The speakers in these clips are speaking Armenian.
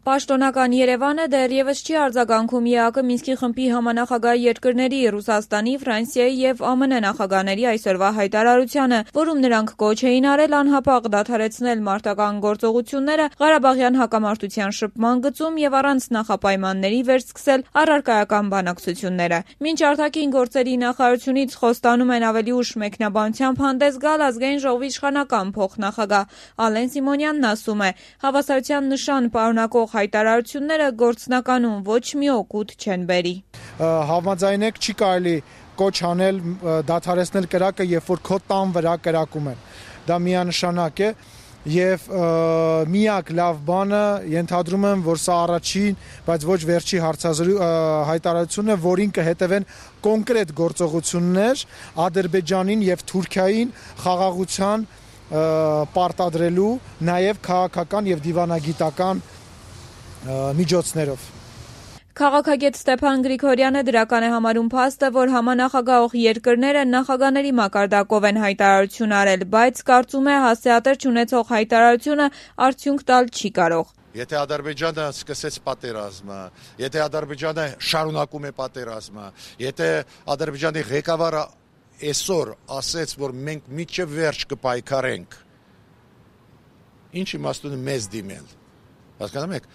Պաշտոնական Երևանը դեռևս չի արձագանքում ԵԱԿ Մինսկի խմբի համանախագահ երկրների Ռուսաստանի, Ֆրանսիայի եւ ԱՄՆ նախագահների այսօրվա հայտարարությանը, որում նրանք կոչ էին արել անհապաղ դադարեցնել մարտական գործողությունները Ղարաբաղյան հակամարտության շփման գծում եւ առանց նախապայմանների վերսկսել առարկայական բանակցությունները։ Մինչ արտաքին գործերի նախարարությունից խոստանում են ավելի ուշ մեկնաբանությամբ հանդես գալ Ազգային ժողովի իշխանական փոխնախագահ Ալեն Սիմոնյանն ասում է, հավասարության նշան պարունակող հայտարարությունները գործնականում ոչ մի օգուտ չեն բերի։ Համաձայնեք չի կարելի կոչ անել դադարեցնել կրակը, երբ որ քո տան վրա կրակում են։ Դա միանշանակ է եւ միակ լավ բանը ենթադրում եմ, որ սա առաջին, բայց ոչ վերջի հայտարարությունն է, որին կհետևեն կոնկրետ գործողություններ Ադրբեջանին եւ Թուրքիային խաղաղության պարտադրելու, նաեւ քաղաքական եւ դիվանագիտական միջոցներով։ Քաղաքագետ Ստեփան Գրիգորյանը դրական է համարում փաստը, որ համանախագահող երկրները նախագահների մակարդակով են հայտարարություն արել, բայց կարծում է հասցեատեր չունեցող հայտարարությունը արդյունք տալ չի կարող։ Եթե Ադրբեջանը սկսեց պատերազմը, եթե Ադրբեջանը շարունակում է պատերազմը, եթե Ադրբեջանի ղեկավարը այսօր ասեց, որ մենք մինչև վերջ կպայքարենք, ինչ իմաստ ունի մեզ դիմել։ Հասկանում եք,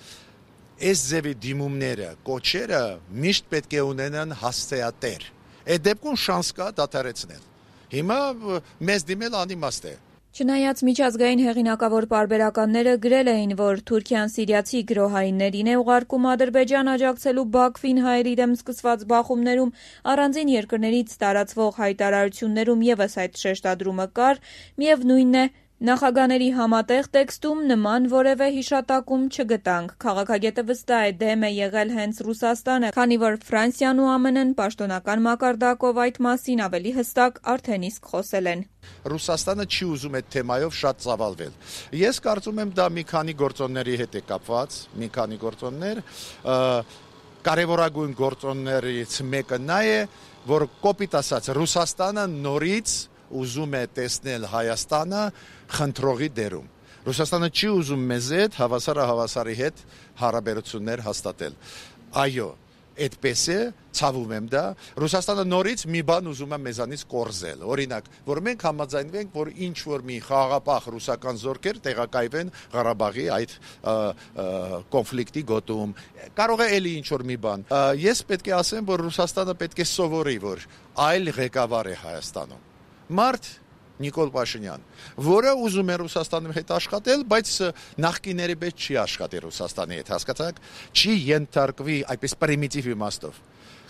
այս ձևի դիմումները, կոչերը միշտ պետք է ունենան հասցեատեր։ Այդ դեպքում շանս կա դադարեցնել։ Հիմա մեզ դիմել անիմաստ է։ Չնայած միջազգային հեղինակավոր պարբերականները գրել էին, որ Թուրքիան սիրիացի գրոհայիններին է ուղարկում Ադրբեջան աջակցելու Բաքվին հայերի դեմ սկսված բախումներում, առանձին երկրներից տարածվող հայտարարություններում եւս այդ շեշտադրումը կար, միևնույնն է, նախագահների համատեղ տեքստում նման որևէ հիշատակում չգտանք։ Քաղաքագետը վստահ է դեմ է եղել հենց Ռուսաստանը, քանի որ Ֆրանսիան ու ԱՄՆ-ն պաշտոնական մակարդակով այդ մասին ավելի հստակ արդեն իսկ խոսել են։ Ռուսաստանը չի ուզում այդ թեմայով շատ ծավալվել։ Ես կարծում եմ դա մի քանի գործոնների հետ է կապված, մի քանի գործոններ, կարևորագույն գործոններից մեկը նա է, որ կոպիտ ասած Ռուսաստանը նորից ուզում է տեսնել Հայաստանը խնդրողի դերում։ Ռուսաստանը չի ուզում մեզ հետ հավասարի հետ հարաբերություններ հաստատել։ Այո, այդպես է, ցավում եմ դա։ Ռուսաստանը նորից մի բան ուզում է մեզանից կորզել։ Օրինակ, որ մենք համաձայնվենք, որ ինչ որ մի խաղաղապահ ռուսական զորքեր տեղակայվեն Ղարաբաղի այդ կոնֆլիկտի գոտում։ Կարող է էլի ինչ որ մի բան։ Ես պետք է ասեմ, որ Ռուսաստանը պետք է սովորի, որ այլ ղեկավար է Հայաստանում։ Մարդ Նիկոլ Փաշինյան, որը ուզում է Ռուսաստանի հետ աշխատել, բայց նախկիների պես չի աշխատի Ռուսաստանի հետ, հասկացաք, չի ենթարկվի այդպես պրիմիտիվ իմաստով։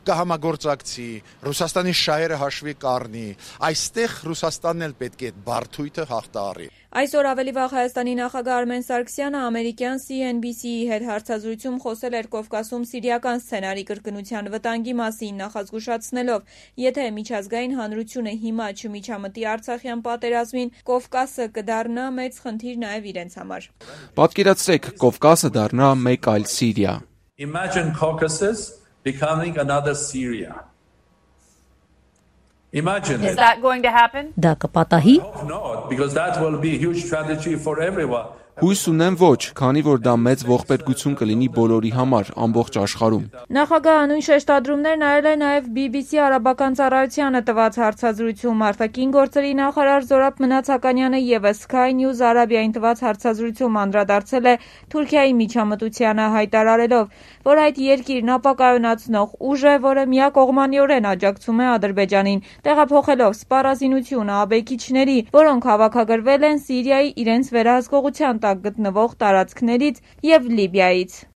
Կհամագործակցի, Ռուսաստանի շահերը հաշվի կառնի, այստեղ Ռուսաստանն էլ պետք է բարդույթը հաղթահարի։ Այսօր ավելի վաղ Հայաստանի նախագահ Արմեն Սարգսյանը ամերիկյան CNBC-ի հետ հարցազրույցում խոսել էր Կովկասում սիրիական սցենարի կրկնության վտանգի մասին, նախազգուշացնելով, եթե միջազգային հանրությունը հիմա չմիջամտի Արցախյան պատերազմին, Կովկասը կդառնա մեծ խնդիր նաև իրենց համար։ Պատկերացրեք, Կովկասը դառնա մեկ այլ Սիրիա։ Imagine Caucasus becoming another Syria. Imagine Is that going to happen? Դա կպատահի։ I hope not, because that will be a huge tragedy for everyone. Հույս ունեմ ոչ, քանի որ դա մեծ ողբերգություն կլինի բոլորի համար, ամբողջ աշխարհում։ Նախագահը նույն շեշտադրումներն արել է նաև BBC արաբական ծառայությանը տված հարցազրույցում։ Արտաքին գործերի նախարար Զորաբ Մնացականյանը եւս Sky News Arabia-ին տված հարցազրույցում անդրադարձել է Թուրքիայի միջամտությանը, հայտարարելով, որ այդ երկիրն ապակայունացնող ուժ է, որը միակողմանիորեն աջակցում է Ադրբեջանին, տեղափոխելով սպառազինությունը աբեկիչների, որոնք հավաքագրվել են Սիրիայի իրենց վերահսկողության տակ գտնվող տարածքներից եւ Լիբիայից։